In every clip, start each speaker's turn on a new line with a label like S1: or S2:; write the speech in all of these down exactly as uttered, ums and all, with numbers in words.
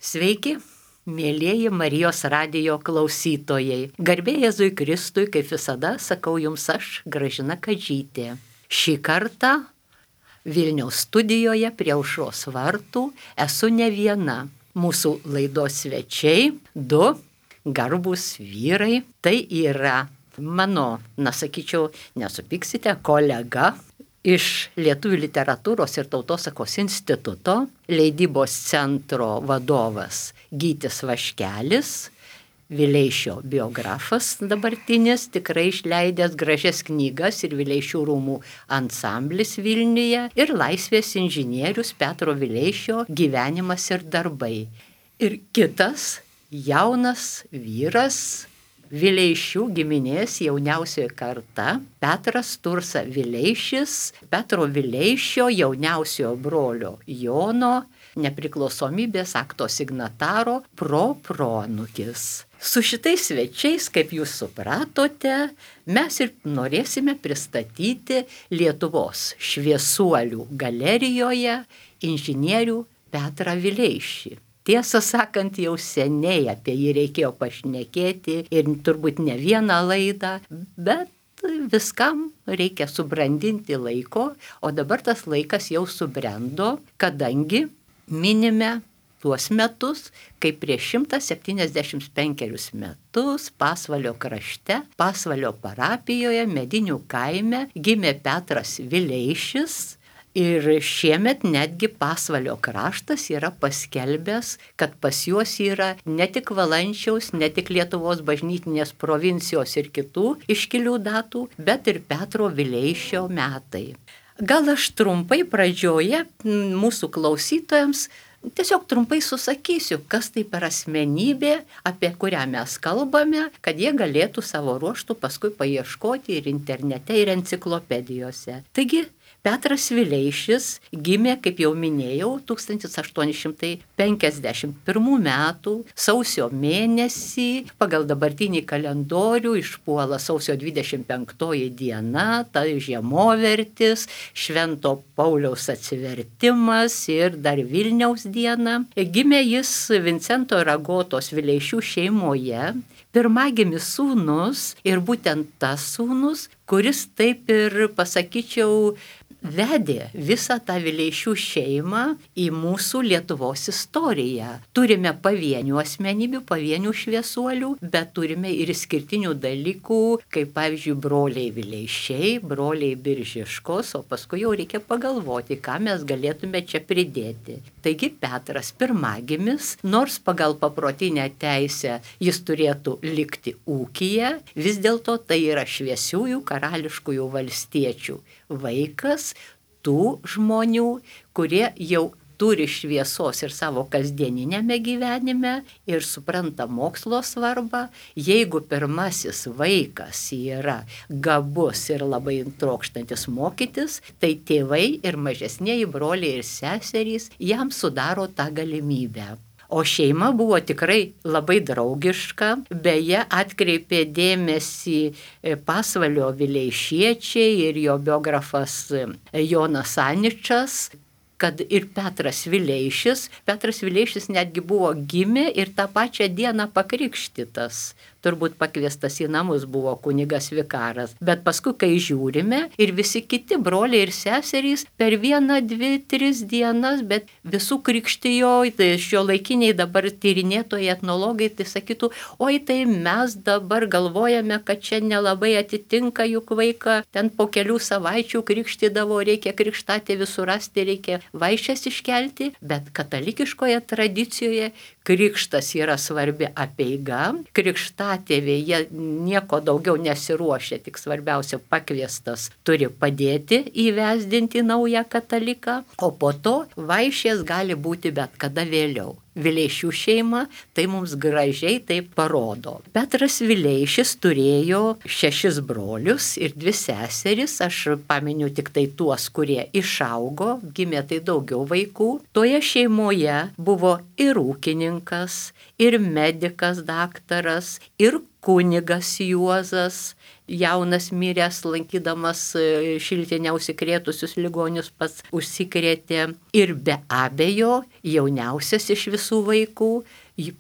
S1: Sveiki, mėlieji Marijos radijo klausytojai. Garbė Jėzui Kristui, kaip visada, sakau jums aš, Gražina Kadžytė. Šį kartą Vilniaus studijoje prie Aušros vartų esu ne viena. Mūsų laidos svečiai, du garbūs vyrai. Tai yra mano, na sakyčiau, nesupyksite, kolega iš Lietuvių literatūros ir tautosakos instituto, leidybos centro vadovas Gytis Vaškelis, Vileišio biografas dabartinis, tikrai išleidęs gražias knygas ir Vileišių rūmų ansamblis Vilniuje, ir laisvės inžinierius Petro Vileišio gyvenimas ir darbai. Ir kitas jaunas vyras, Vileišių giminės jauniausioji karta, Petras Tursa Vileišis, Petro Vileišio jauniausiojo brolio Jono, nepriklausomybės akto signataro proproanūkis. Su šitais svečiais, kaip jūs supratote, mes ir norėsime pristatyti Lietuvos šviesuolių galerijoje inžinierių Petrą Vileišį. Tiesą sakant, jau seniai apie jį reikėjo pašnekėti ir turbūt ne vieną laidą, bet viskam reikia subrandinti laiko, o dabar tas laikas jau subrendo, kadangi minime tuos metus, kai prieš šimtą septyniasdešimt penkerius metus Pasvalio krašte, Pasvalio parapijoje, Medinių kaime gimė Petras Vileišis. Ir šiemet netgi Pasvalio kraštas yra paskelbęs, kad pas juos yra ne tik Valančiaus, ne tik Lietuvos bažnytinės provincijos ir kitų iškilių datų, bet ir Petro Vileišio metai. Gal aš trumpai pradžioje mūsų klausytojams tiesiog trumpai susakysiu, kas tai per asmenybė, apie kurią mes kalbame, kad jie galėtų savo ruožtų paskui paieškoti ir internete, ir enciklopedijose. Taigi, Petras Vileišis gimė, kaip jau minėjau, tūkstantis aštuoni šimtai penkiasdešimt pirmų metų sausio mėnesį, pagal dabartinį kalendorių išpuola sausio dvidešimt penktoji diena, tai žiemovertis, Švento Pauliaus atsivertimas ir dar Vilniaus diena. Gimė jis Vincento ir Agotos Vileišių šeimoje, pirmagimis sūnus ir būtent tas sūnus, kuris taip ir, pasakyčiau, vedė visą tą Vileišių šeimą į mūsų Lietuvos istoriją. Turime pavienių asmenybių, pavienių šviesuolių, bet turime ir išskirtinių dalykų, kaip pavyzdžiui broliai Vileišiai, broliai Biržiškos, o paskui jau reikia pagalvoti, ką mes galėtume čia pridėti. Taigi Petras pirmagimis, nors pagal paprotinę teisę jis turėtų likti ūkyje, vis dėlto tai yra šviesiųjų karališkųjų valstiečių vaikas, tų žmonių, kurie jau turi šviesos ir savo kasdieninėme gyvenime ir supranta mokslo svarbą. Jeigu pirmasis vaikas yra gabus ir labai trokštantis mokytis, tai tėvai ir mažesnieji broliai ir seserys jam sudaro tą galimybę. O šeima buvo tikrai labai draugiška, beje, atkreipė dėmesį Pasvalio vileišiečiai ir jo biografas Jonas Aničas, kad ir Petras Vileišis, Petras Vileišis netgi buvo gimė ir tą pačią dieną pakrikštytas. Turbūt pakviestas į namus buvo kunigas vikaras. Bet paskui, kai žiūrime, ir visi kiti broliai ir seserys per vieną, dvi, tris dienas, bet visų krikštijo, tai šiuolaikiniai dabar tyrinėtojai, etnologai, tai sakytų, oi tai mes dabar galvojame, kad čia nelabai atitinka juk vaiką, ten po kelių savaičių krikštydavo, reikia krikštatėvį surasti, reikia vaišes iškelti, bet katalikiškoje tradicijoje krikštas yra svarbi apeiga, krikštatėviai jie nieko daugiau nesiruošia, tik svarbiausia pakviestas turi padėti įvesdinti naują kataliką, o po to vaišės gali būti bet kada vėliau. Vileišių šeima tai mums gražiai taip parodo. Petras Vileišis turėjo šešis brolius ir dvi seseris, aš paminiu tik tai tuos, kurie išaugo, gimė tai daugiau vaikų. Toje šeimoje buvo ir ūkininkas, ir medikas daktaras, ir kunigas Juozas, jaunas miręs, lankydamas Šiltinę užsikrėtusius ligonius pats užsikrėtė. Ir be abejo, jauniausias iš visų vaikų,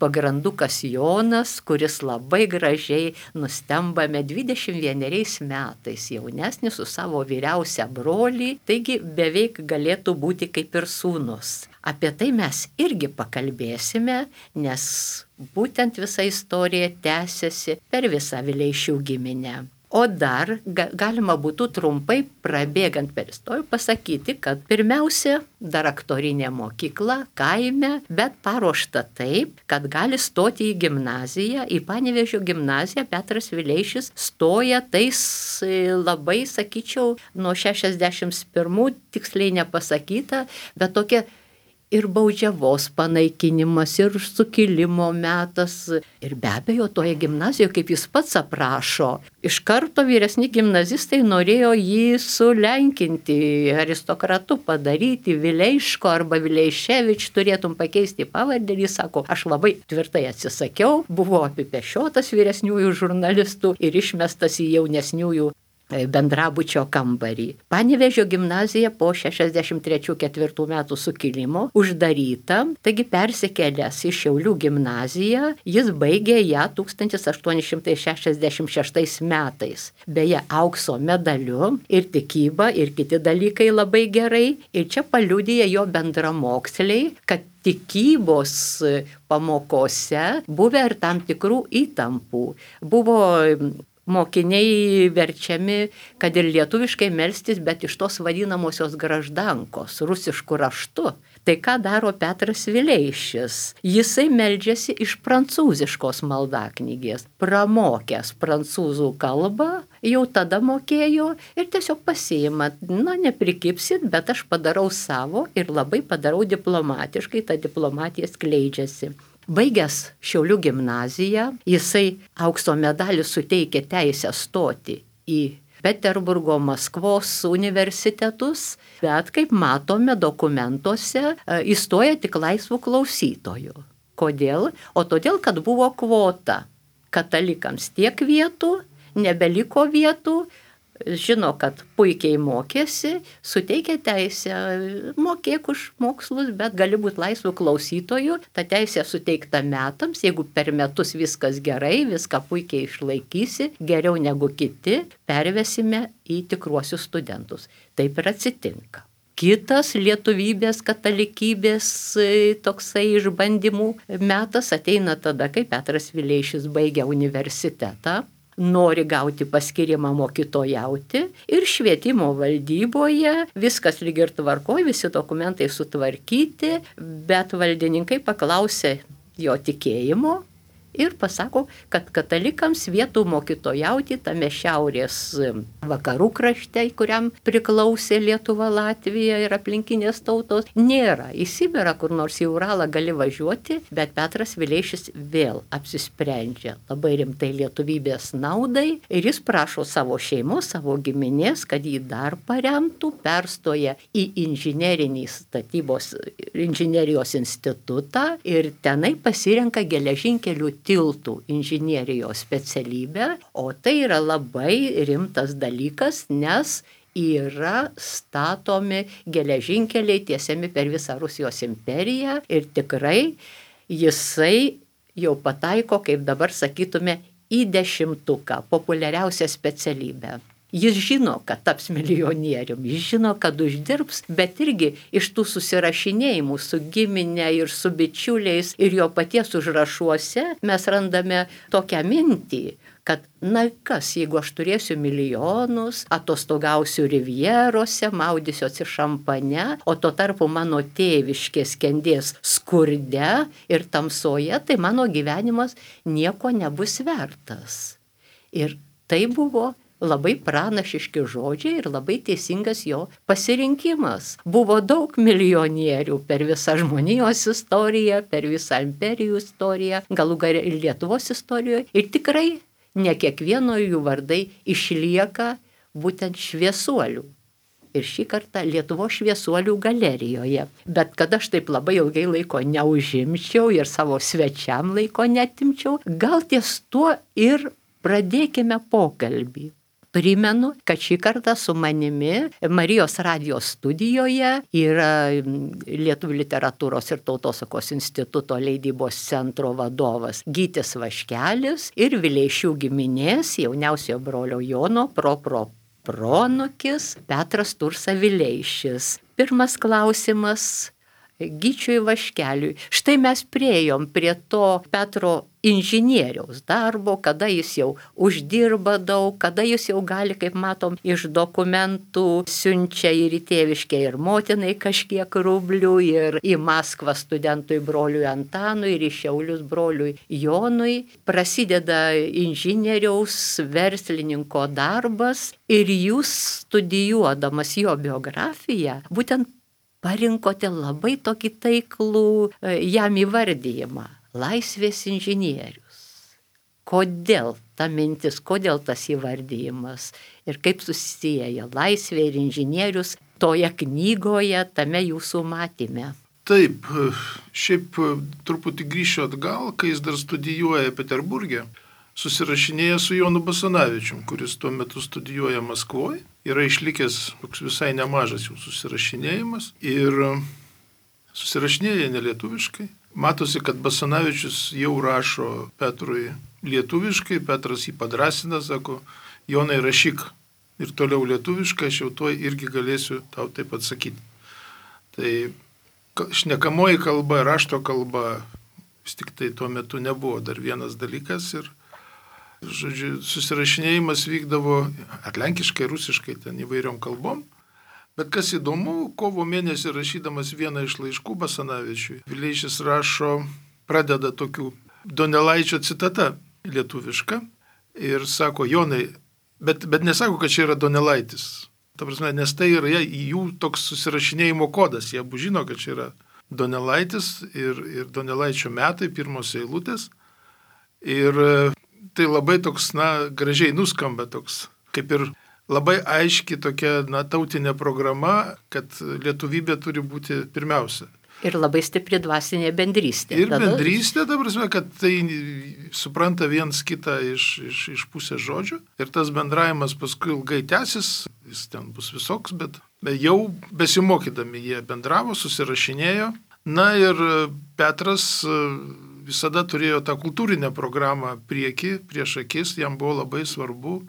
S1: pagrandukas Jonas, kuris labai gražiai nustembame dvidešimt vieneriais metais, jaunesnis su savo vyriausia brolį, taigi beveik galėtų būti kaip ir sūnus. Apie tai mes irgi pakalbėsime, nes būtent visa istorija tęsiasi per visą Vileišių giminę. O dar ga, galima būtų trumpai prabėgant per istoriją pasakyti, kad pirmiausia dar aktorinė mokykla kaime, bet paruošta taip, kad gali stoti į gimnaziją, į Panevėžio gimnaziją. Petras Vileišis stoja tais labai, sakyčiau, nuo šešiasdešimt pirmų, tiksliai nepasakyta, bet tokia ir baudžiavos panaikinimas, ir sukilimo metas. Ir be abejo, toje gimnazijoje, kaip jis pats aprašo, iš karto vyresni gimnazistai norėjo jį sulenkinti, aristokratu padaryti, Vileiško arba Vileiševič, turėtum pakeisti pavardę. Jis sako, aš labai tvirtai atsisakiau, buvo apipešiotas vyresniųjų žurnalistų ir išmestas į jaunesniųjų bendrabučio kambarį. Panevėžio gimnazija po šešiasdešimt trečių ketvirtų metų sukilimo uždaryta, taigi persikėlęs į Šiaulių gimnaziją, jis baigė ją tūkstantis aštuoni šimtai šešiasdešimt šeštais metais. Beje, aukso medaliu, ir tikyba, ir kiti dalykai labai gerai. Ir čia paliudija jo bendramoksliai, kad tikybos pamokose buvę ir tam tikrų įtampų. Buvo mokiniai verčiami, kad ir lietuviškai melstis, bet iš tos vadinamosios graždankos, rusiškų raštų. Tai ką daro Petras Vileišis? Jisai meldžiasi iš prancūziškos maldaknygės, pramokęs prancūzų kalbą, jau tada mokėjo ir tiesiog pasiima, na, neprikipsit, bet aš padarau savo ir labai padarau diplomatiškai, ta diplomatija skleidžiasi. Baigęs Šiaulių gimnaziją, jisai aukso medalį suteikė teisę stoti į Peterburgo, Maskvos universitetus, bet kaip matome dokumentuose, įstoja tik laisvų klausytojų. Kodėl? O todėl, kad buvo kvota. Katalikams tiek vietų, nebeliko vietų, žino, kad puikiai mokėsi, suteikia teisę, mokėk už mokslus, bet gali būti laisvų klausytojų. Ta teisė suteikta metams, jeigu per metus viskas gerai, viską puikiai išlaikysi, geriau negu kiti, pervesime į tikruosius studentus. Taip ir atsitinka. Kitas lietuvybės, katalikybės toksai išbandymų metas ateina tada, kai Petras Vileišis baigia universitetą, nori gauti paskyrimą mokytojauti ir švietimo valdyboje viskas lyg ir tvarkoj, visi dokumentai sutvarkyti, bet valdininkai paklausė jo tikėjimo ir pasako, kad katalikams vietų mokytojauti tame šiaurės vakarų krašte, kuriam priklausė Lietuva, Latvija ir aplinkinės tautos, nėra. Į Sibirą, kur nors į Uralą gali važiuoti, bet Petras Vileišis vėl apsisprendžia labai rimtai lietuvybės naudai ir jis prašo savo šeimos, savo giminės, kad jį dar paremtų, perstoja į inžinerinį statybos, inžinerijos institutą ir tenai pasirenka geležinkelių tiltų inžinierijos specialybę, o tai yra labai rimtas dalykas, nes yra statomi geležinkeliai tiesiami per visą Rusijos imperiją ir tikrai jisai jau pataiko, kaip dabar sakytume, į dešimtuką populiariausią specialybę. Jis žino, kad taps milijonierium, jis žino, kad uždirbs, bet irgi iš tų susirašinėjimų su giminė ir su bičiuliais ir jo paties užrašuose mes randame tokią mintį, kad na kas, jeigu aš turėsiu milijonus, atostogausiu rivjerose, maudysiuosi šampane, o tuo tarpu mano tėviškė skendės skurde ir tamsoje, tai mano gyvenimas nieko nebus vertas. Ir tai buvo labai pranašiški žodžiai ir labai teisingas jo pasirinkimas. Buvo daug milijonierių per visą žmonijos istoriją, per visą imperijų istoriją, galų gale ir Lietuvos istorijoje. Ir tikrai ne kiekvieno jų vardai išlieka būtent šviesuolių. Ir šį kartą Lietuvos šviesuolių galerijoje. Bet kad aš taip labai ilgai laiko neužimčiau ir savo svečiam laiko netimčiau, gal ties tuo ir pradėkime pokalbį. Primenu, kad šį kartą su manimi Marijos radijos studijoje yra Lietuvių literatūros ir tautosakos instituto leidybos centro vadovas Gytis Vaškelis ir Vileišių giminės jauniausiojo brolio Jono propro pronukis Petras Tursa Vileišis. Pirmas klausimas Gyčiui Vaškeliui. Štai mes priejom prie to Petro inžinieriaus darbo, kada jis jau uždirba daug, kada jis jau gali, kaip matom, iš dokumentų siunčia ir į tėviškę ir motinai kažkiek rublių, ir į Maskvą studentui broliui Antanui, ir į Šiaulius broliui Jonui. Prasideda inžinieriaus verslininko darbas ir jūs studijuodamas jo biografiją, būtent parinkote labai tokį taiklų jam įvardyjimą – laisvės inžinierius. Kodėl ta mintis, kodėl tas įvardyjimas ir kaip susisieja laisvė ir inžinierius toje knygoje, tame jūsų matyme?
S2: Taip, šiaip truputį grįšiu atgal, kai jis dar studijuoja Peterburge, susirašinėja su Jonu Basanavičium, kuris tuo metu studijuoja Maskvoje. Yra išlikęs toks visai nemažas jų susirašinėjimas ir susirašinėja nelietuviškai. Matosi, kad Basanavičius jau rašo Petrui lietuviškai, Petras jį padrasina, sako, Jonai rašyk ir toliau lietuviškai, aš jau tuo irgi galėsiu tau taip atsakyti. Tai šnekamoji kalba, rašto kalba, vis tik tai tuo metu nebuvo dar vienas dalykas ir žodžiu, susirašinėjimas vykdavo atlenkiškai, rusiškai, ten įvairiom kalbom. Bet kas įdomu, kovo mėnesį rašydamas vieną iš laiškų Basanavičiui, Vileišis rašo, pradeda tokių Donelaičio citata lietuviška ir sako, Jonai, bet, bet nesako, kad čia yra Donelaitis. Ta prasme, nes tai yra jų toks susirašinėjimo kodas. Jie abu žino, kad čia yra Donelaitis ir, ir Donelaičio metai, pirmos eilutės. Ir tai labai toks, na, gražiai nuskamba toks, kaip ir labai aiški tokia, na, tautinė programa, kad lietuvybė turi būti pirmiausia.
S1: Ir labai stipri dvasinė bendrystė.
S2: Ir tada... bendrystė, ta prasme, kad tai supranta viens kitą iš, iš, iš pusės žodžių. Ir tas bendravimas paskui ilgai tęsis, jis ten bus visoks, bet jau besimokydami jie bendravo, susirašinėjo. Na ir Petras visada turėjo tą kultūrinę programą prieki, prieš akis, jam buvo labai svarbu.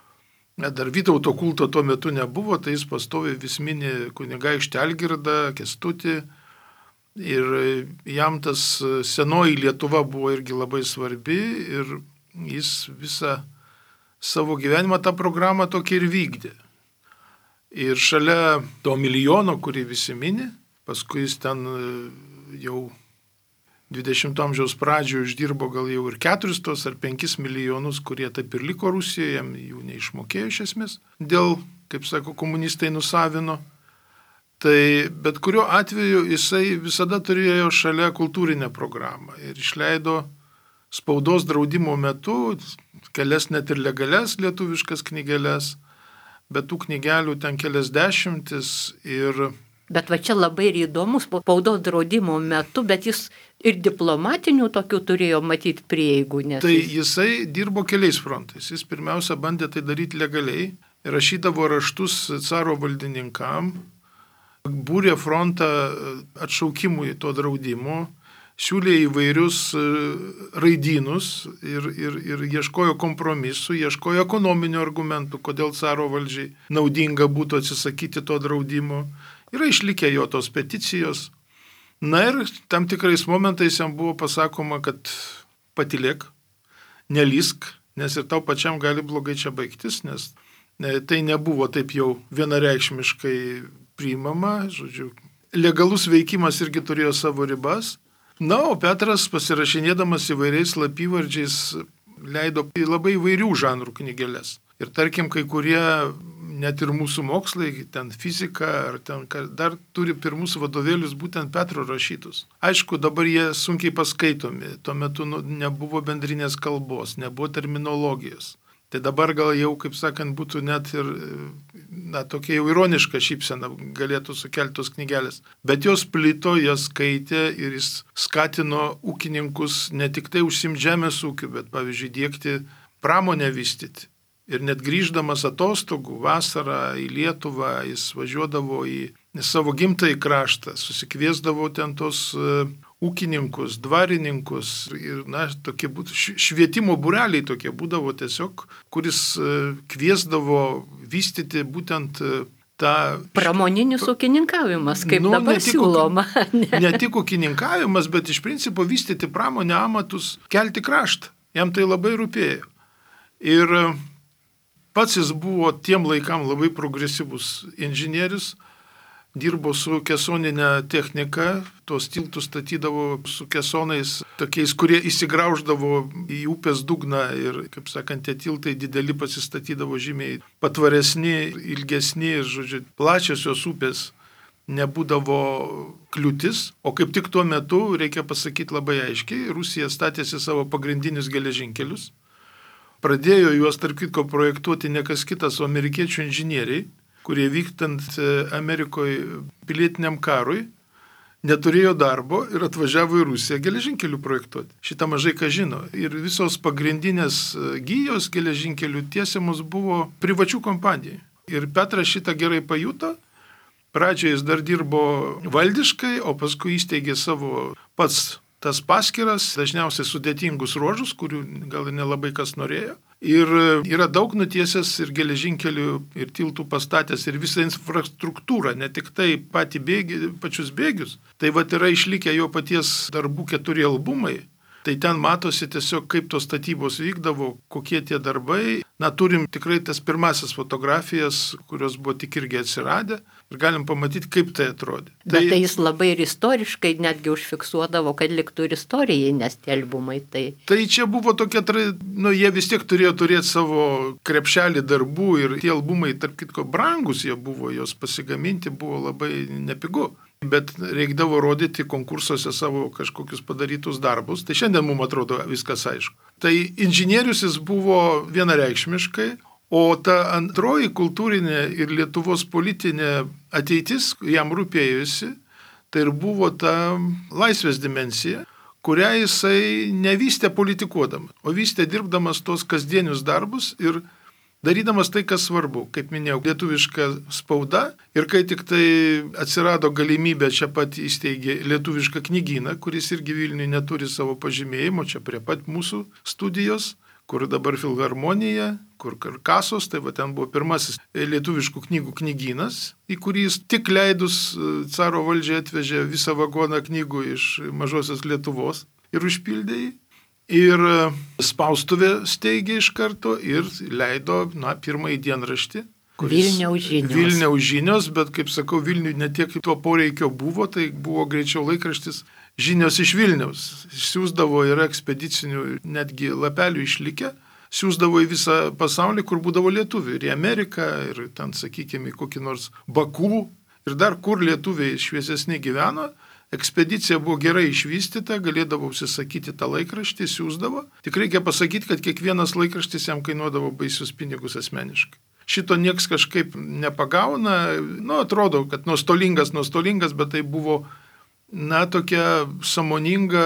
S2: Dar Vytauto kulto tuo metu nebuvo, tai jis pastoviai vis mini kunigaikštį Algirdą, Kęstutį. Ir jam tas senoji Lietuva buvo irgi labai svarbi ir jis visą savo gyvenimą tą programą tokį ir vykdė. Ir šalia to milijono, kurį visi mini, paskui jis ten jau dvidešimto amžiaus pradžioje uždirbo gal jau ir keturis tos ar penkis milijonus, kurie taip ir liko Rusijoje, jam jų neišmokėjo iš esmės, dėl, kaip sako, komunistai nusavino. Tai bet kuriuo atveju jisai visada turėjo šalia kultūrinę programą ir išleido spaudos draudimo metu kelias net ir legalias lietuviškas knygeles, bet tų knygelių ten kelias dešimtis ir...
S1: Bet va čia labai ir įdomus spaudos draudimo metu, bet jis ir diplomatinių tokių turėjo matyti prieigų. Nes
S2: tai
S1: jis...
S2: jisai dirbo keliais frontais. Jis pirmiausia bandė tai daryti legaliai, rašydavo raštus caro valdininkam, būrė frontą atšaukimui to draudimo, siūlė įvairius raidynus ir, ir, ir ieškojo kompromisų, ieškojo ekonominių argumentų, kodėl caro valdžiai naudinga būtų atsisakyti to draudimo. Yra išlikę jo tos peticijos. Na ir tam tikrais momentais jam buvo pasakoma, kad patilėk, nelysk, nes ir tau pačiam gali blogai čia baigtis, nes tai nebuvo taip jau vienareikšmiškai priimama. Žodžiu, legalus veikimas irgi turėjo savo ribas. Na, o Petras pasirašinėdamas įvairiais slapyvardžiais leido labai įvairių žanrų knygeles. Ir tarkim, kai kurie net ir mūsų mokslai, ten fizika, ar ten dar turi pirmus vadovėlius būtent Petro rašytus. Aišku, dabar jie sunkiai paskaitomi, tuo metu nu, nebuvo bendrinės kalbos, nebuvo terminologijos. Tai dabar gal jau, kaip sakant, būtų net ir, na, tokia jau ironiška šypsena galėtų sukelti tos knygelės. Bet jos plito, jas skaitė ir jis skatino ūkininkus ne tik tai užsimti žemės ūkiu, bet, pavyzdžiui, diegti pramonę vystyti. Ir net grįždamas atostogų vasarą į Lietuvą, jis važiuodavo į savo gimtąjį kraštą, susikviesdavo ten tos uh, ūkininkus, dvarininkus ir, na, tokie būtų, švietimo būreliai tokie būdavo tiesiog, kuris uh, kviesdavo vystyti būtent uh, tą...
S1: Pramoninis št... ūkininkavimas, kaip nu, dabar siūloma.
S2: Ne. ne tik ūkininkavimas, bet iš principo vystyti pramonę, amatus, kelti kraštą. Jam tai labai rūpėjo. Ir pats jis buvo tiem laikam labai progresyvus inžinierius, dirbo su kesoninė technika, tos tiltus statydavo su kesonais, tokiais, kurie įsigrauždavo į upės dugną ir, kaip sakant, tie tiltai dideli pasistatydavo žymiai patvaresni, ilgesni ir, žodžiu, plačiosios upės nebūdavo kliūtis, o kaip tik tuo metu, reikia pasakyti labai aiškiai, Rusija statėsi savo pagrindinius geležinkelius, pradėjo juos, tarp kitko, projektuoti ne kas kitas, o amerikiečių inžinieriai, kurie vyktant Amerikoje pilietiniam karui neturėjo darbo ir atvažiavo į Rusiją geležinkelių projektuoti. Šitą mažai ką žino. Ir visos pagrindinės gijos geležinkelių tiesiamos buvo privačių kompanijų. Ir Petras šitą gerai pajuto. Pradžioje jis dar dirbo valdiškai, o paskui įsteigė savo pats tas paskiras, dažniausiai sudėtingus ruožus, kurių gal nelabai kas norėjo. Ir yra daug nutiesęs ir geležinkelių, ir tiltų pastatęs, ir visą infrastruktūrą, ne tik tai patį bėgi, pačius bėgius. Tai vat yra išlikę jo paties darbų keturi albumai. Tai ten matosi tiesiog, kaip tos statybos vykdavo, kokie tie darbai. Na, turim tikrai tas pirmasis fotografijas, kurios buvo tik irgi atsiradę. Ir galim pamatyti, kaip tai atrodė.
S1: Bet tai, tai jis labai ir istoriškai netgi užfiksuodavo, kad liktų ir istorijai, nes tie albumai tai...
S2: Tai čia buvo tokia, nu, jie vis tiek turėjo turėti savo krepšelį darbų ir tie albumai, tarp kitko, brangus jie buvo, jos pasigaminti buvo labai nepigu. Bet reikdavo rodyti konkursuose savo kažkokius padarytus darbus. Tai šiandien mums atrodo viskas aišku. Tai inžinierius jis buvo vienareikšmiškai, o ta antroji kultūrinė ir Lietuvos politinė ateitis jam rūpėjusi, tai ir buvo ta laisvės dimensija, kurią jisai nevystė politikuodamas, o vystė dirbdamas tos kasdienius darbus ir darydamas tai, kas svarbu, kaip minėjau, lietuviška spauda ir kai tik tai atsirado galimybė, čia pat įsteigė lietuvišką knygyną, kuris irgi Vilniuje neturi savo pažymėjimo, čia prie pat mūsų studijos, kur dabar Filharmonija, kur Karkasos, tai va ten buvo pirmasis lietuviškų knygų knygynas, į kurį jis tik leidus caro valdžiai atvežė visą vagoną knygų iš mažosios Lietuvos ir užpildė jį. Ir spaustuvė steigė iš karto ir leido, na, pirmąjį dienraštį.
S1: Vilniaus žinios.
S2: Vilniaus žinios, bet, kaip sakau, Vilniui ne tiek to poreikio buvo, tai buvo greičiau laikraštis Žinios iš Vilniaus. Siūsdavo ir ekspedicinių netgi lapelių išlikę, siūsdavo į visą pasaulį, kur būdavo lietuvių. Ir į Ameriką, ir ten, sakykime, į kokį nors Baku, ir dar kur lietuviai šviesesni gyveno. Ekspedicija buvo gerai išvystyta, galėdavo užsisakyti tą laikraštį, siūsdavo. Tik reikia pasakyti, kad kiekvienas laikraštis jam kainuodavo baisius pinigus asmeniškai. Šito nieks kažkaip nepagauna, nu, atrodo, kad nuostolingas, nuostolingas, bet tai buvo, na, tokia sąmoninga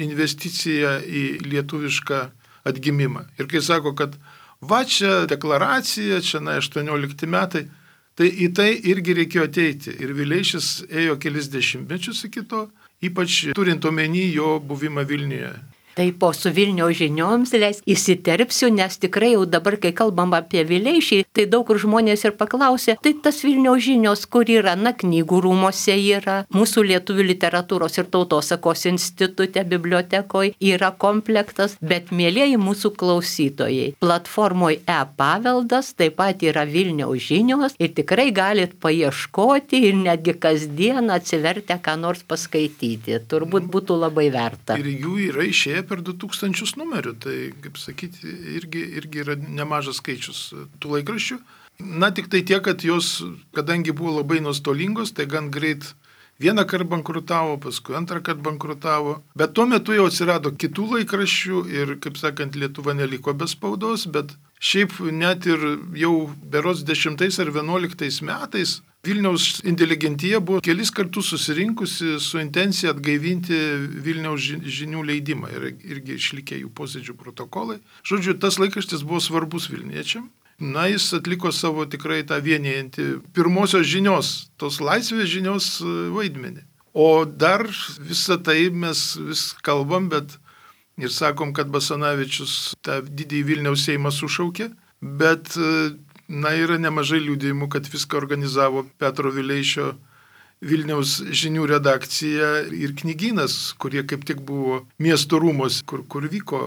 S2: investicija į lietuvišką atgimimą. Ir kai sako, kad va čia deklaracija, čia, na, aštuoniolikti metai, tai į tai irgi reikėjo ateiti. Ir Vileišis ėjo kelis dešimtmečius iki to, ypač turint omeny jo buvimą Vilniuje.
S1: Tai po su Vilniaus žinioms leis įsiterpsiu, nes tikrai jau dabar, kai kalbam apie Vileišį, tai daug kur žmonės ir paklausė, tai tas Vilniaus žinios, kur yra, na, knygų rūmose yra, mūsų lietuvių literatūros ir tautosakos institute, bibliotekoje yra komplektas, bet mėlieji mūsų klausytojai, platformoje e-paveldas taip pat yra Vilniaus žinios ir tikrai galit paieškoti ir netgi kasdien atsivertę ką nors paskaityti. Turbūt būtų labai verta.
S2: Ir jų yra išėję per du tūkstančius numerių, tai, kaip sakyti, irgi, irgi yra nemažas skaičius tų laikraščių. Na, tik tai tiek, kad jos, kadangi buvo labai nuostolingos, tai gan greit vieną kartą bankrutavo, paskui antrą kartą bankrutavo, bet tuo metu jau atsirado kitų laikraščių ir, kaip sakant, Lietuva neliko be spaudos, bet šiaip net ir jau berods dešimtais ar vienuoliktais metais Vilniaus inteligentija buvo kelis kartus susirinkusi su intencija atgaivinti Vilniaus žinių leidimą ir irgi išlikę jų posėdžių protokolai. Žodžiu, tas laikraštis buvo svarbus vilniečiam na, jis atliko savo tikrai tą vienijantį pirmosios žinios, tos laisvės žinios vaidmenį. O dar visą tai mes vis kalbam, bet ir sakom, kad Basanavičius tą didįjį Vilniaus Seimą sušaukė, bet, na, yra nemažai liudijimų, kad viską organizavo Petro Vileišio Vilniaus žinių redakcija ir knygynas, kurie kaip tik buvo miesto rūmos, kur, kur vyko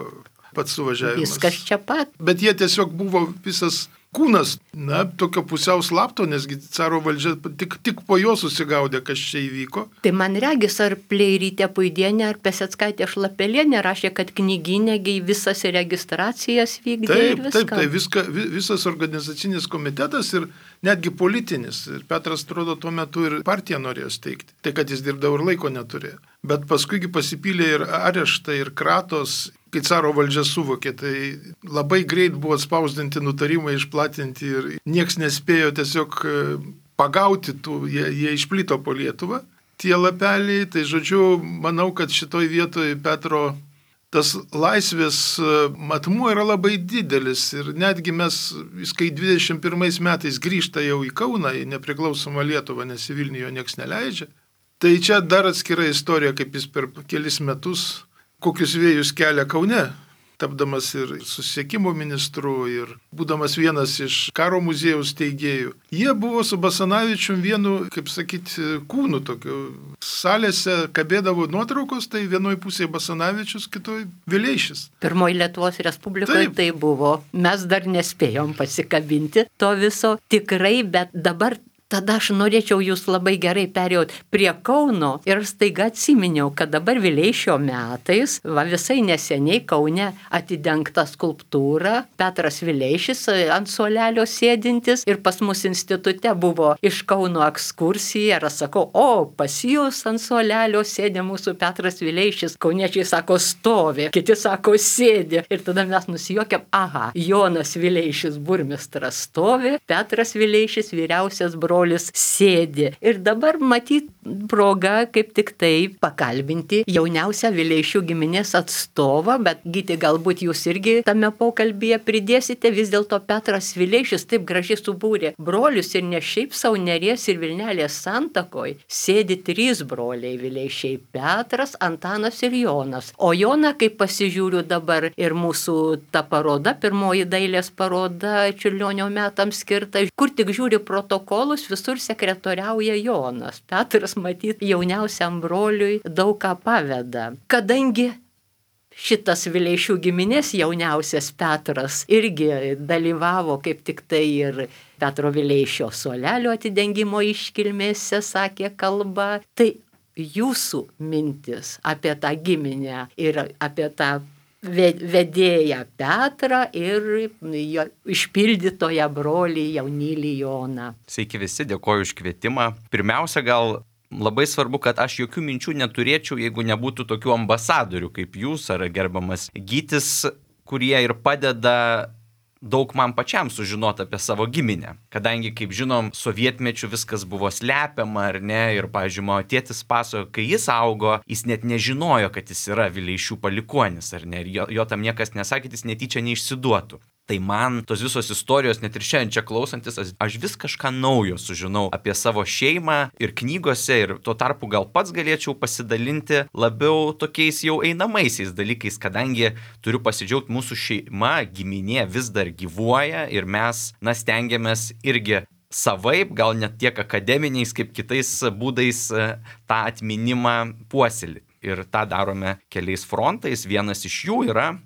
S2: pats suvažiavimas.
S1: Viskas čia pat.
S2: Bet jie tiesiog buvo visas kūnas, na, tokio pusiau slapto, nesgi caro valdžia tik, tik po jo susigaudė, kas čia įvyko.
S1: Tai man regis, ar Pleirytė Puidienė, ar Peseckaitė Šlapelienė rašė, kad knygynėgiai visas registracijas vykdė
S2: taip,
S1: ir viską.
S2: Taip, tai viska, visas organizacinis komitetas ir netgi politinis. Ir Petras, atrodo, tuo metu ir partiją norėjo steigti. Tai, kad jis dirbdavo ir laiko neturėjo. Bet paskuigi pasipylė ir areštai, ir kratos. Kai caro valdžia suvokė, tai labai greit buvo spausdinti nutarimai, išplatinti ir nieks nespėjo tiesiog pagauti tų, jie, jie išplito po Lietuvą. Tie lapeliai, tai žodžiu, manau, kad šitoj vietoj Petro tas laisvės matmuo yra labai didelis ir netgi mes, kai dvidešimt pirmais metais grįžta jau į Kauną, į nepriklausomą Lietuvą, nes į Vilnių jo nieks neleidžia, tai čia dar atskira istorija, kaip jis per kelis metus kokius vėjus kelia Kaune, tapdamas ir susisiekimo ministru ir būdamas vienas iš karo muziejaus steigėjų. Jie buvo su Basanavičium vienu, kaip sakyti, kūnu tokiu. Salėse kabėdavo nuotraukos, tai vienoj pusėje Basanavičius, kitoj Vileišis.
S1: Pirmoji Lietuvos Respublikoje Taip. Tai buvo. Mes dar nespėjom pasikabinti to viso tikrai, bet dabar tada aš norėčiau jūs labai gerai perėjot prie Kauno ir staiga atsiminiau, kad dabar Vileišio metais, va visai neseniai Kaune atidengta skulptūra, Petras Vileišis ant suolelio sėdintis ir pas mus institute buvo iš Kauno ekskursija ir aš sakau, o pas jūs ant suolelio sėdė mūsų Petras Vileišis, kauniečiai sako stovi, kiti sako sėdi ir tada mes nusijuokėm, aha, Jonas Vileišis burmistras stovi, Petras Vileišis vyriausias brolis sėdi. Ir dabar matyt proga kaip tik tai pakalbinti jauniausią Vileišių giminės atstovą, bet Gyti, galbūt jūs irgi tame pokalbyje pridėsite, vis dėlto Petras Vileišis taip gražiai subūrė brolius ir ne šiaip savo Neries ir Vilnelės santakoj sėdi trys broliai Vileišiai - Petras, Antanas ir Jonas. O Joną, kaip pasižiūriu dabar ir mūsų ta paroda, pirmoji dailės paroda Čiurlionio metams skirta, kur tik žiūri protokolus, visur sekretoriauja Jonas. Petras, matyt, jauniausiam broliui daug ką paveda. Kadangi šitas Vileišių giminės jauniausias Petras irgi dalyvavo kaip tik tai ir Petro Vileišio suolelio atidengimo iškilmėse sakė kalbą, tai jūsų mintis apie tą giminę ir apie tą vedėją Petrą ir jo išpildytoją brolį jaunylį Joną.
S3: Sveiki visi, dėkoju už kvietimą. Pirmiausia, gal labai svarbu, kad aš jokių minčių neturėčiau, jeigu nebūtų tokių ambasadorių kaip jūs ar gerbiamas Gytis, kurie ir padeda daug man pačiam sužinoti apie savo giminę. Kadangi, kaip žinom, sovietmečiu viskas buvo slepiama, ar ne, ir, pavyzdžiui, mano tėtis pasakojo, kai jis augo, jis net nežinojo, kad jis yra Vileišių palikuonis, ar ne, ir jo, jo tam niekas nesakė, jis netyčia neišsiduotų. Tai man tos visos istorijos, net ir šiandien čia klausantis, aš vis kažką naujo sužinau apie savo šeimą ir knygose, ir tuo tarpu gal pats galėčiau pasidalinti labiau tokiais jau einamaisiais dalykais, kadangi turiu pasidžiaugti, mūsų šeima, giminė vis dar gyvuoja ir mes, na, stengiamės irgi savaip, gal net tiek akademiniais, kaip kitais būdais tą atminimą puoselėti. Ir tą darome keliais frontais. Vienas iš jų yra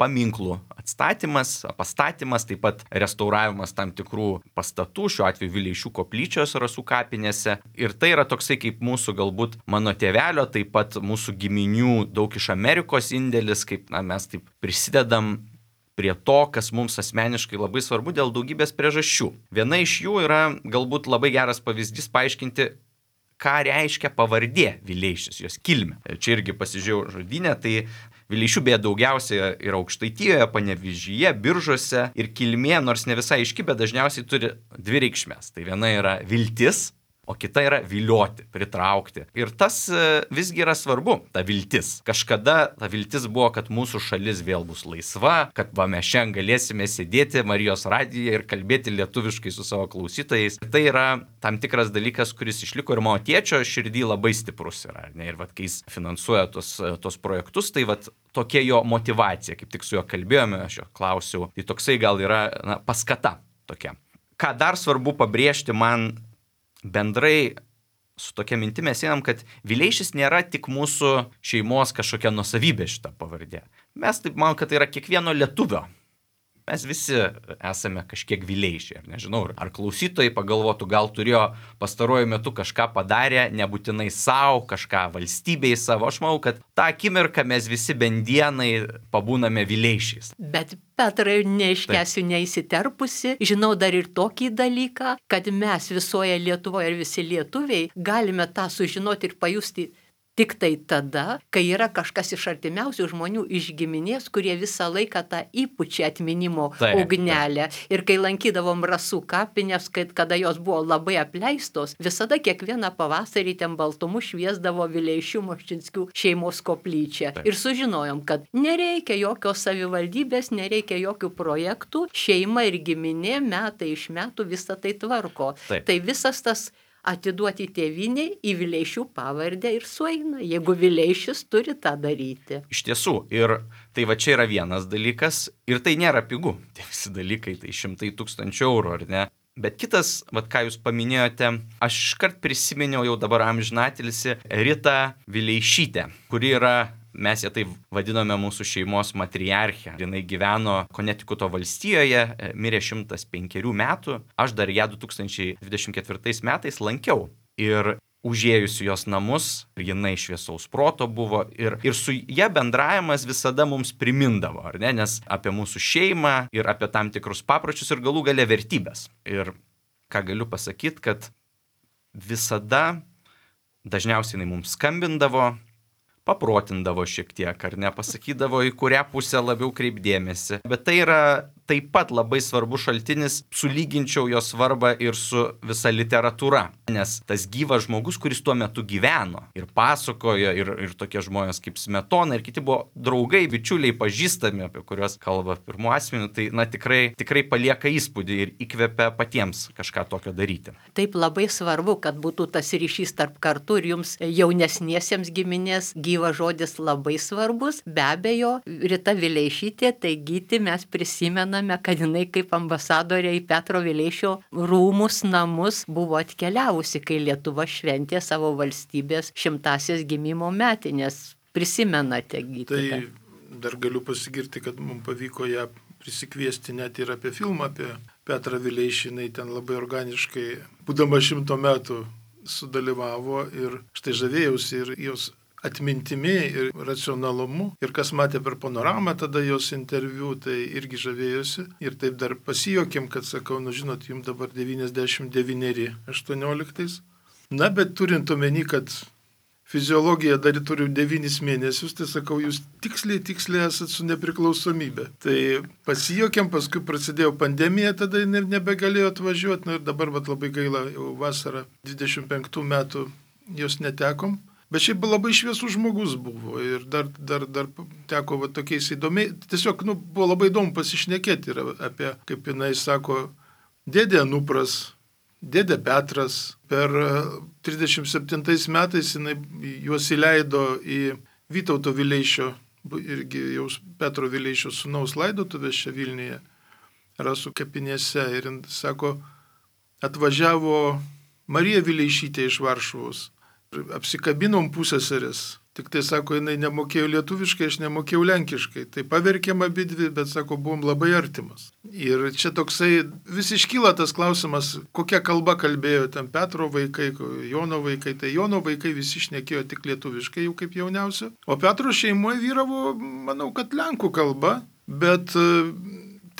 S3: paminklų atstatymas, pastatymas, taip pat restauravimas tam tikrų pastatų, šiuo atveju Vileišių koplyčios Rasų kapinėse. Ir tai yra toksai kaip mūsų galbūt mano tėvelio, taip pat mūsų giminių daug iš Amerikos indėlis, kaip na, mes taip prisidedam prie to, kas mums asmeniškai labai svarbu dėl daugybės priežasčių. Viena iš jų yra galbūt labai geras pavyzdys paaiškinti, ką reiškia pavardė Vileišis, jos kilmė. Čia irgi pasižiūrėjau žodynę, tai Vileišių beje daugiausia yra Aukštaitijoje, Panevėžyje, Biržuose ir kilmė, nors ne visai aiški, bet dažniausiai turi dvi reikšmės. Tai viena yra viltis, o kita yra vilioti, pritraukti. Ir tas visgi yra svarbu, ta viltis. Kažkada ta viltis buvo, kad mūsų šalis vėl bus laisva, kad va mes šiandien galėsime sėdėti Marijos radijoje ir kalbėti lietuviškai su savo klausytojais. Tai yra tam tikras dalykas, kuris išliko ir mano tėčio širdį labai stiprus yra. Ne? Ir vat, kai jis finansuoja tos, tos projektus, tai vat, tokia jo motyvacija, kaip tik su juo kalbėjome, aš jo klausiau, tai toksai gal yra na, paskata tokia. Ką dar svarbu pabrėžti man bendrai su tokia minti mes einam, kad Vileišis nėra tik mūsų šeimos kažkokia nuosavybė šita pavardė. Mes taip manom, kad tai yra kiekvieno lietuvio. Mes visi esame kažkiek Vileišiai, ar nežinau, ar klausytojai pagalvotų, gal turėjo pastaruoju metu kažką padarę, nebūtinai savo, kažką valstybei savo. Aš manau, kad tą akimirką mes visi bendienai pabūname Vileišiais.
S1: Bet Petrai, neiškesiu neįsiterpusi, žinau dar ir tokį dalyką, kad mes visoje Lietuvoje ir visi lietuviai galime tą sužinoti ir pajusti tik tai tada, kai yra kažkas iš artimiausių žmonių iš giminės, kurie visą laiką tą įpučia atminimo taip, ugnelę. Taip. Ir kai lankydavom Rasų kapinės, kad, kada jos buvo labai apleistos, visada kiekvieną pavasarį ten baltumu šviesdavo Vileišių Moščinskių šeimos koplyčią. Taip. Ir sužinojom, kad nereikia jokios savivaldybės, nereikia jokių projektų, šeima ir giminė metai iš metų visą tai tvarko. Taip. Tai visas tas atiduoti tėvynei į Vileišių pavardę ir sueina, jeigu Vileišis turi tą daryti.
S3: Iš tiesų, ir tai va čia yra vienas dalykas, ir tai nėra pigu, tie visi dalykai, tai šimtai tūkstančių eurų, ar ne? Bet kitas, va ką jūs paminėjote, aš iškart prisiminiau jau dabar amžinatilsį Ritą Vileišytę, kuri yra, mes ją taip vadiname mūsų šeimos matriarchę. Jinai gyveno Konetikuto valstijoje, mirė šimtas penkerių metų. Aš dar ją du tūkstančiai dvidešimt ketvirtais metais lankiau. Ir užėjusi jos namus, jinai šviesaus proto buvo. Ir, ir su ją bendravimas visada mums primindavo, ar ne? Nes apie mūsų šeimą ir apie tam tikrus papročius ir galų gale vertybės. Ir ką galiu pasakyti, kad visada dažniausiai jinai mums skambindavo, paprotindavo šiek tiek, ar ne, pasakydavo, į kurią pusę labiau kreipdėmėsi. Bet tai yra taip pat labai svarbus šaltinis, sulyginčiau jo svarbą ir su visa literatūra. Nes tas gyvas žmogus, kuris tuo metu gyveno ir pasakojo, ir, ir tokie žmonės kaip Smetona, ir kiti buvo draugai, bičiuliai, pažįstami, apie kuriuos kalba pirmu asmeniu, tai na, tikrai, tikrai palieka įspūdį ir įkvepia patiems kažką tokio daryti.
S1: Taip labai svarbu, kad būtų tas ryšys tarp kartų ir jums jaunesniesiems giminės gyvas žodis labai svarbus. Be abejo, Rita Vileišytė, tai Gyti mes prisimename, kad jinai kaip ambasadorė į Petro Vileišio rūmus, namus buvo atkeliavusi, kai Lietuva šventė savo valstybės šimtasias gimimo metinės. Prisimenate, Gyti?
S2: Tai dar galiu pasigirti, kad mums pavyko ją prisikviesti net ir apie filmą apie Petrą Vileišį. Jinai ten labai organiškai, būdama šimto metų, sudalyvavo ir štai žavėjausi ir jos atmintimi ir racionalumu. Ir kas matė per panoramą tada jos interviu, tai irgi žavėjosi. Ir taip dar pasijokėm, kad sakau, nu žinot, jums dabar devyniasdešimt devyneri aštuonioliktais. Na, bet turint omeny, kad fiziologija dar turiu devynis mėnesius, tai sakau, jūs tiksliai, tiksliai esat su nepriklausomybė. Tai pasijokėm, paskui prasidėjo pandemija, tada ne, nebegalėjo atvažiuoti. Na ir dabar vat, labai gaila, jau vasarą dvidešimt penktų metų jos netekom. Bet šiaip labai šviesus žmogus buvo ir dar, dar, dar teko va, tokiais įdomiai, tiesiog nu, buvo labai įdomu pasišnekėti ir apie, kaip jinai sako, dėdė Anupras, dėdė Petras. Per trisdešimt septintais metais jinai juos įleido į Vytauto Vileišio, irgi jau Petro Vileišio sūnaus laidotuvės čia Vilniuje, Rasų kapinėse. Ir jis sako, atvažiavo Marija Vileišytė iš Varšuvos. Apsikabinom pusseserės. Tik tai, sako, jinai nemokėjo lietuviškai, aš nemokėjau lenkiškai. Tai paverkėm abidvi, bet, sako, buvom labai artimas. Ir čia toksai, vis iškyla tas klausimas, kokia kalba kalbėjo ten Petro vaikai, Jono vaikai. Tai Jono vaikai visi šnekėjo tik lietuviškai, jau kaip jauniausio. O Petro šeimoje vyravo, manau, kad lenkų kalba, bet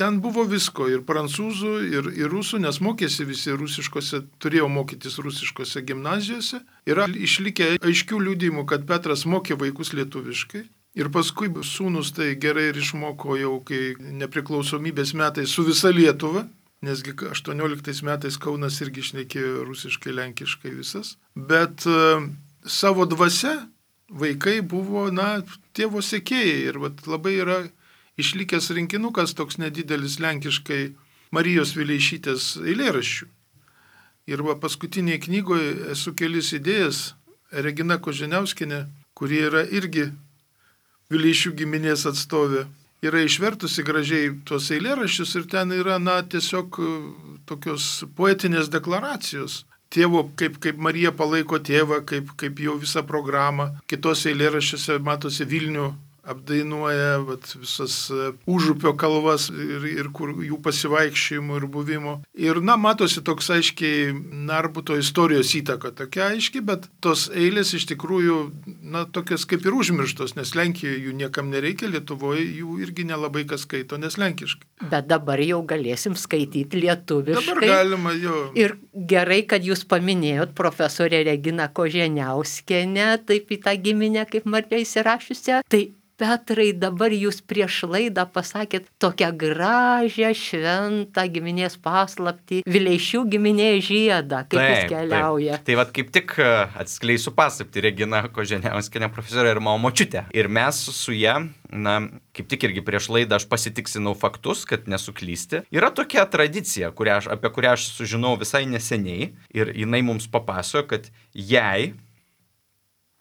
S2: ten buvo visko, ir prancūzų, ir, ir rusų, nes mokėsi visi rusiškose, turėjo mokytis rusiškose gimnazijose. Yra išlikę aiškių liudijimų, kad Petras mokė vaikus lietuviškai. Ir paskui sūnus tai gerai ir išmoko jau, kai nepriklausomybės metais su visa Lietuva. nesgi aštuonioliktais metais Kaunas irgi šnekėjo rusiškai, lenkiškai visas. Bet e, savo dvasia vaikai buvo, na, tėvo sekėjai. Ir vat, labai yra išlikęs rinkinukas toks nedidelis lenkiškai Marijos Vileišytės eilėraščių. Ir va, paskutinėje knygoje esu kelis idėjas. Regina Koženiauskienė, kuri yra irgi Vileišių giminės atstovė, yra išvertusi gražiai tuos eilėraščius ir ten yra, na, tiesiog tokios poetinės deklaracijos. Tėvo, kaip, kaip Marija palaiko tėvą, kaip, kaip jau visą programą. Kitos eilėraščiuose matosi Vilnių apdainuoja vat, visas užupio kalvas ir, ir kur jų pasivaikščiojimų ir buvimo. Ir, na, matosi toks aiškiai Narbuto istorijos įtaka tokia aiški, bet tos eilės iš tikrųjų, na, tokias kaip ir užmirštos, nes Lenkijoje jų niekam nereikia, Lietuvoje jų irgi nelabai kas skaito, nes lenkiškai.
S1: Bet dabar jau galėsim skaityti lietuviškai.
S2: Dabar galima, jo.
S1: Ir gerai, kad jūs paminėjot profesorę Reginą Koženiauskienę, taip į tą giminę, kaip Marija įsirašiusią. Tai Petrai, dabar jūs prieš laidą pasakėt tokią gražią, šventą giminės paslaptį, Vileišių giminės žiedą, kaip taip, jis keliauja.
S3: Taip. Tai vat kaip tik atskleisiu paslaptį, Regina Koženiauskienė profesorė ir mano močiutė. Ir mes su ja, na, kaip tik irgi prieš laidą aš pasitiksinau faktus, kad nesuklysti. Yra tokia tradicija, kurią aš, apie kurią aš sužinau visai neseniai ir jinai mums papasakojo, kad jai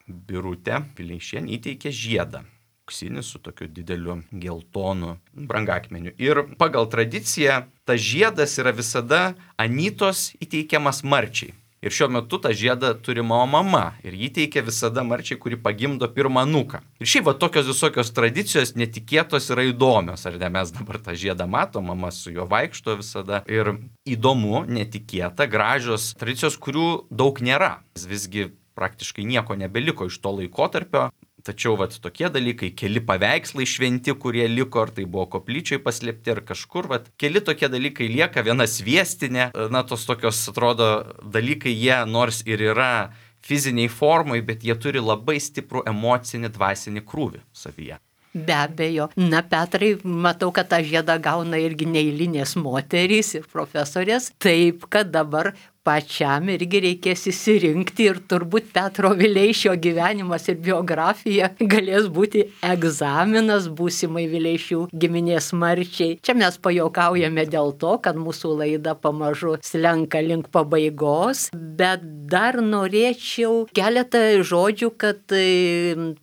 S3: Birutė Vileišienė įteikė žiedą. Su tokiu dideliu geltonu brangakmeniu. Ir pagal tradiciją tas žiedas yra visada Anytos įteikiamas Marčiai. Ir šiuo metu tą žiedą turi mano mama. Ir jį teikia visada Marčiai, kuri pagimdo pirmą anūką. Ir šiaip va tokios visokios tradicijos netikėtos yra įdomios. Ar ne, mes dabar tą žiedą matom, mama su juo vaikšto visada. Ir įdomu, netikėta, gražios tradicijos, kurių daug nėra. Visgi praktiškai nieko nebeliko iš to laikotarpio. Tačiau vat, tokie dalykai, keli paveikslai šventi, kurie liko, ar tai buvo koplyčiai paslėpti, ar kažkur, vat, keli tokie dalykai lieka, viena sviestinė, na, tos tokios, atrodo, dalykai, jie nors ir yra fiziniai formai, bet jie turi labai stiprų emocinį, dvasinį krūvį savyje.
S1: Be abejo. Na, Petrai, matau, kad tą žiedą gauna irgi neeilinės moterys ir profesorės, taip, kad dabar pačiam irgi reikės įsirinkti ir turbūt Petro Vileišio gyvenimas ir biografija galės būti egzaminas būsimai Vileišių giminės Marčiai. Čia mes pajuokaujame dėl to, kad mūsų laida pamažu slenka link pabaigos, bet dar norėčiau keletą žodžių, kad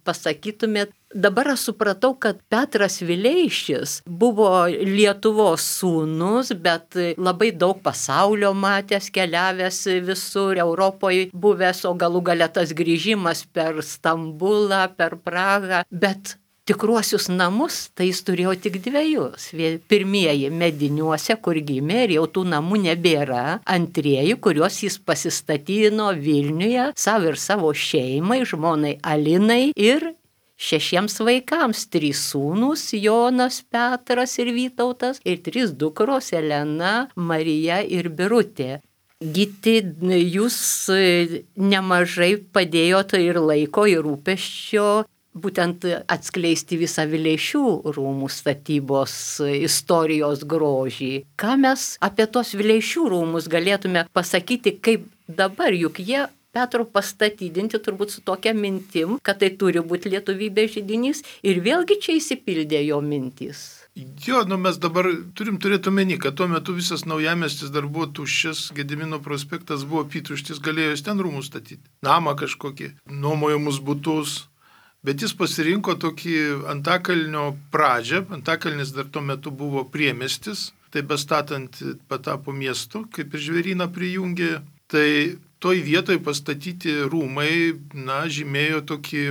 S1: pasakytumėt. Dabar aš supratau, kad Petras Vileišis buvo Lietuvos sūnus, bet labai daug pasaulio matęs, keliavęs visur Europoje, buvęs, o galų gale tas grįžimas per Stambulą, per Prahą, bet tikruosius namus tai jis turėjo tik dviejus. Pirmieji Mediniuose, kur gimė ir jau tų namų nebėra. Antrieji, kuriuos jis pasistatino Vilniuje, savo ir savo šeimai, žmonai Alinai ir šešiems vaikams, trys sūnūs, Jonas, Petras ir Vytautas, ir trys dukros, Elena, Marija ir Birutė. Gyti, jūs nemažai padėjote ir laiko, ir rūpesčio, būtent atskleisti visą Vileišių rūmų statybos istorijos grožį. Ką mes apie tos Vileišių rūmus galėtume pasakyti, kaip dabar, juk jie Petro pastatydinti turbūt su tokia mintim, kad tai turi būti lietuvybės židinys ir vėlgi čia įsipildė jo mintys.
S2: Jo, nu mes dabar turim turėti omeny, kad tuo metu visas Naujamiestis dar buvo tuščias, Gedimino prospektas buvo apytuštis, galėjo jis ten rūmus statyti, namą kažkokį, nuomojamus butus, bet jis pasirinko tokį Antakalnio pradžią, Antakalnis dar tuo metu buvo priemiestis, tai bestatant patapo miestu, kaip ir Žvėryną prijungė, tai toj vietoj pastatyti rūmai, na, žymėjo tokį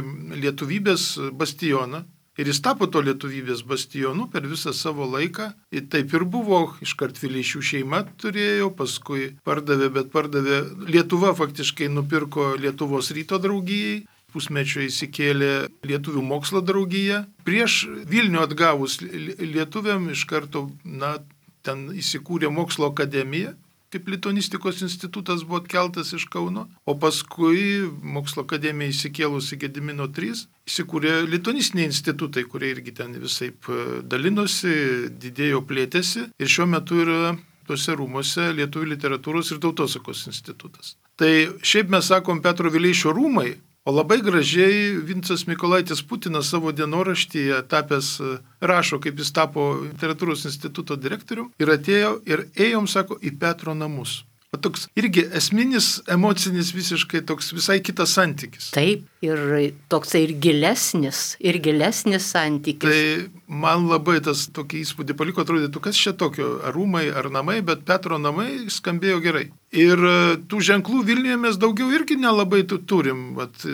S2: lietuvybės bastioną. Ir jis tapo to lietuvybės bastionu per visą savo laiką. Ir taip ir buvo, iškart Vileišių šeima turėjo, paskui pardavė, bet pardavė. Lietuva faktiškai nupirko Lietuvos ryto draugijai, pusmečio įsikėlė Lietuvių mokslo draugija. Prieš Vilnių atgavus lietuviam iš karto, na, ten įsikūrė mokslo akademija. Kaip lituanistikos institutas buvo atkeltas iš Kauno, o paskui mokslo akademija įsikėlusi Gedimino trys, įsikūrė lituanistiniai institutai, kurie irgi ten visaip dalinosi, didėjo, plėtėsi ir šiuo metu yra tuose rūmuose Lietuvių literatūros ir tautosakos institutas. Tai šiaip mes sakom Petro Vileišio rūmai, o labai gražiai Vincas Mykolaitis Putinas savo dienoraštyje tapęs rašo, kaip jis tapo literatūros instituto direktorium ir atėjo ir ėjom, sako, į Petro namus. O toks irgi esminis, emocinis visiškai toks visai kitas santykis.
S1: Taip, ir toksai ir gilesnis, ir gilesnis santykis.
S2: Tai man labai tas tokį įspūdį paliko, atrodytų, kas čia tokio, ar rūmai, ar namai, bet Petro namai skambėjo gerai. Ir tų ženklų Vilniuje mes daugiau irgi nelabai turim. Vat,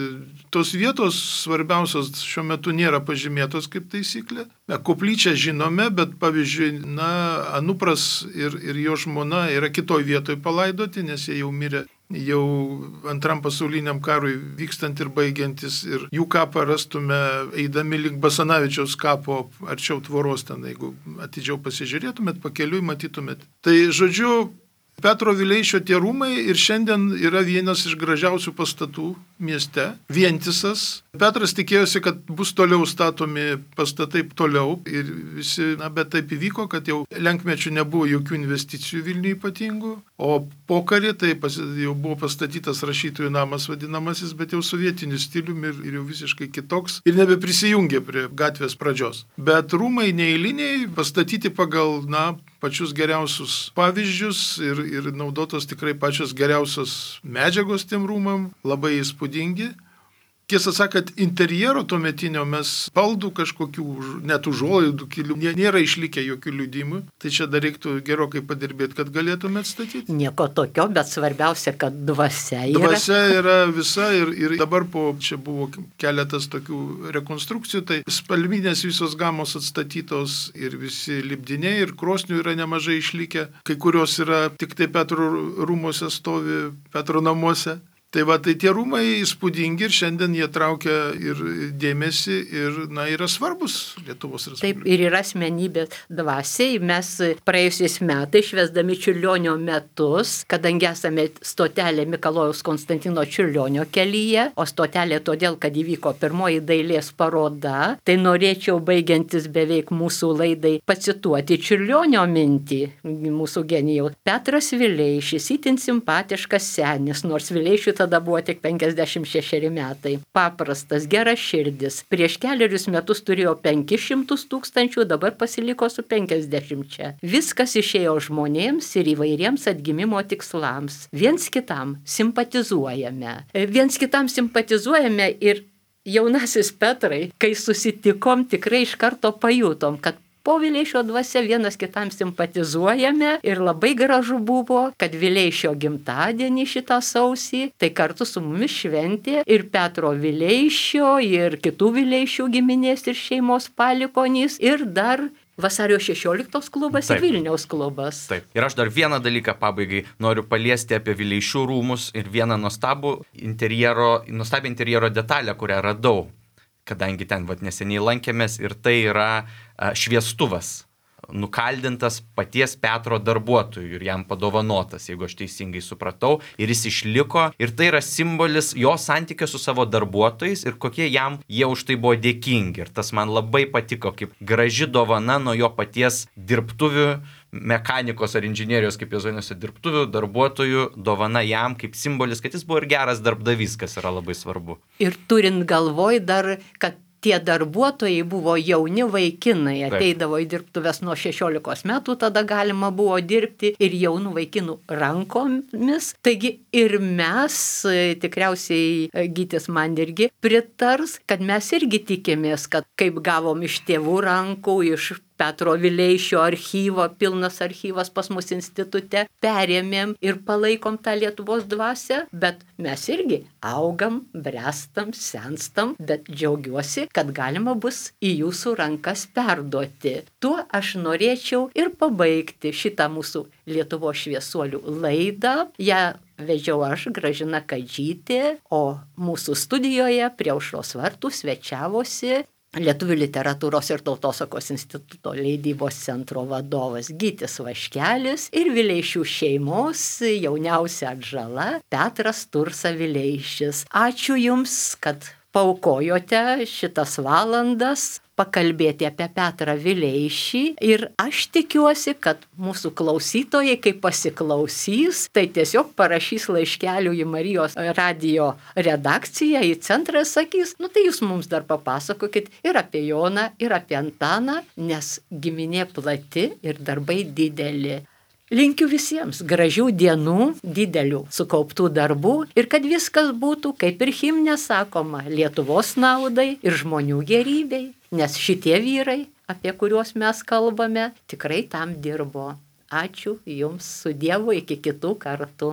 S2: tos vietos svarbiausios šiuo metu nėra pažymėtos kaip taisyklė. Koplyčią žinome, bet pavyzdžiui, na, Anupras ir, ir jo žmona yra kitoj vietoj palaidoti, nes jie jau mirė jau antram pasauliniam karui vykstant ir baigiantis. Ir jų kapą rastume eidami link Basanavičiaus kapo arčiau tvoros ten, jeigu atidžiau pasižiūrėtumėt, pakeliui matytumėt. Tai žodžiu, Petro Vileišio tie rūmai ir šiandien yra vienas iš gražiausių pastatų mieste, vientisas. Petras tikėjosi, kad bus toliau statomi pastatai toliau ir visi, na, bet taip įvyko, kad jau lenkmečių nebuvo jokių investicijų Vilniuje ypatingų, o pokarį tai pas, jau buvo pastatytas rašytojų namas vadinamasis, bet jau sovietiniu stiliumi ir, ir jau visiškai kitoks ir nebeprisijungė prie gatvės pradžios. Bet rūmai neeiliniai, pastatyti pagal, na, pačius geriausius pavyzdžius ir, ir naudotos tikrai pačios geriausios medžiagos tiem rūmam, labai įspūdingi. Tiesą sakant, interjero tuometinio mes baldų kažkokių, net užuolaidų kilių, nėra išlikę jokių liudimų. Tai čia dar reiktų gerokai padirbėti, kad galėtume atstatyti.
S1: Nieko tokio, bet svarbiausia, kad dvasia yra.
S2: Dvasia yra visa ir, ir dabar po, čia buvo keletas tokių rekonstrukcijų, tai spalvinės visos gamos atstatytos ir visi lipdiniai ir krosnių yra nemažai išlikę. Kai kurios yra tik tai Petro rūmuose stovi, Petro namuose. Tai va, tai tie rūmai įspūdingi ir šiandien jie traukia ir dėmesį ir, na, yra svarbus Lietuvos Respublikai.
S1: Taip, ir yra asmenybės dvasiai. Mes praėjusiais metais, švęsdami Čiurlionio metus, kadangi esame stotelė Mikalojaus Konstantino Čiurlionio kelyje, o stotelė todėl, kad įvyko pirmoji dailės paroda, tai norėčiau, baigiantis beveik mūsų laidai, pacituoti Čiurlionio mintį, mūsų genijaus. Petras Vileišis, itin simpatiškas senis, nors Vileišiui tada buvo tik penkiasdešimt šešeri metai. Paprastas, geras širdis. Prieš keliarius metus turėjo penkis šimtus tūkstančių, dabar pasiliko su penkiasdešimčia. Viskas išėjo žmonėms ir įvairiems atgimimo tikslams. Viens kitam simpatizuojame. Viens kitam simpatizuojame ir jaunasis Petrai, kai susitikom, tikrai iš karto pajutom, kad po Vileišio dvasia vienas kitam simpatizuojame ir labai gražu buvo, kad Vileišio gimtadienį šitą sausį, tai kartu su mumis šventė ir Petro Vileišio, ir kitų Vileišių giminės ir šeimos palikonys, ir dar Vasario šešioliktos klubas. Taip. Ir Vilniaus klubas.
S3: Taip. Ir aš dar vieną dalyką pabaigai noriu paliesti apie Vileišių rūmus ir vieną nuostabų interjero, nuostabią interjero detalę, kurią radau, kadangi ten vat, neseniai lankėmės, ir tai yra a, šviestuvas, nukaldintas paties Petro darbuotojų ir jam padovanotas, jeigu aš teisingai supratau, ir jis išliko, ir tai yra simbolis jo santykio su savo darbuotojais ir kokie jam jie už tai buvo dėkingi. Ir tas man labai patiko, kaip graži dovana nuo jo paties dirbtuvių, mechanikos ar inžinierijos, kaip jie vadinasi, dirbtuvių darbuotojų, dovana jam kaip simbolis, kad jis buvo ir geras darbdavys, kas yra labai svarbu.
S1: Ir turint galvoj dar, kad tie darbuotojai buvo jauni vaikinai, ateidavo į dirbtuves nuo šešiolikos metų, tada galima buvo dirbti ir jaunų vaikinų rankomis. Taigi ir mes, tikriausiai Gytis man irgi pritars, kad mes irgi tikėmės, kad kaip gavom iš tėvų rankų, iš Petro Vileišio archyvo, pilnas archyvas pas mus institute, perėmėm ir palaikom tą Lietuvos dvasią, bet mes irgi augam, brestam, senstam, bet džiaugiuosi, kad galima bus į jūsų rankas perduoti. Tuo aš norėčiau ir pabaigti šitą mūsų Lietuvos šviesuolių laidą. Ja vedžiau aš, Gražina Kadžytė, o mūsų studijoje prie Aušros vartų svečiavosi Lietuvių literatūros ir tautosakos instituto leidybos centro vadovas Gytis Vaškelis ir Vileišių šeimos jauniausia atžala Petras Tursa Vileišis. Ačiū Jums, kad paukojote šitas valandas pakalbėti apie Petrą Vileišį ir aš tikiuosi, kad mūsų klausytojai, kai pasiklausys, tai tiesiog parašys laiškelių į Marijos radijo redakciją, į centrą ir sakys, nu tai jūs mums dar papasakokit ir apie Joną, ir apie Antaną, nes giminė plati ir darbai dideli. Linkiu visiems gražių dienų, didelių sukauptų darbų ir kad viskas būtų, kaip ir himne sakoma, Lietuvos naudai ir žmonių gerybei, nes šitie vyrai, apie kuriuos mes kalbame, tikrai tam dirbo. Ačiū Jums, su Dievu, iki kitų kartų.